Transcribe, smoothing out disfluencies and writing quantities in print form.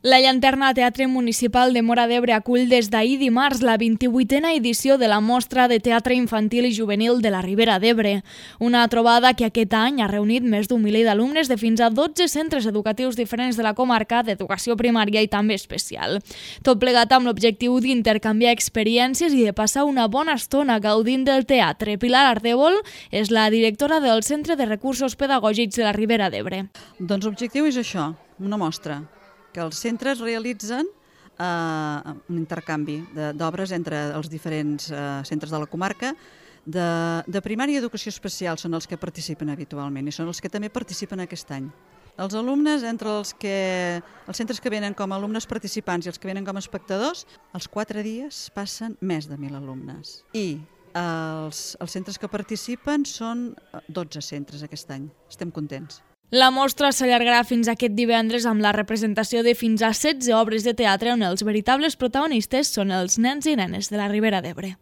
La Llanterna Teatre Municipal de Móra d'Ebre acull des d'ahir dimarts la 28a edició de la Mostra de Teatre Infantil i Juvenil de la Ribera d'Ebre. Una trobada que aquest any ha reunit més d'un miler d'alumnes de fins a 12 centres educatius diferents de la comarca d'educació primària i també especial. Tot plegat amb l'objectiu d'intercanviar experiències i de passar una bona estona gaudint del teatre. Pilar Ardèvol és la directora del Centre de Recursos Pedagògics de la Ribera d'Ebre. Doncs l'objectiu és això, una mostra, que els centres realitzen un intercanvi d'obres entre els diferents centres de la comarca. De primària i educació especial són els que participen habitualment i són els que també participen aquest any. Els alumnes, entre els centres que venen com a alumnes participants i els que venen com a espectadors, els 4 dies passen més de 1.000 alumnes. I els centres que participen són 12 centres aquest any. Estem contents. La mostra s'allargarà fins aquest divendres amb la representació de fins a 16 obres de teatre on els veritables protagonistes són els nens i nenes de la Ribera d'Ebre.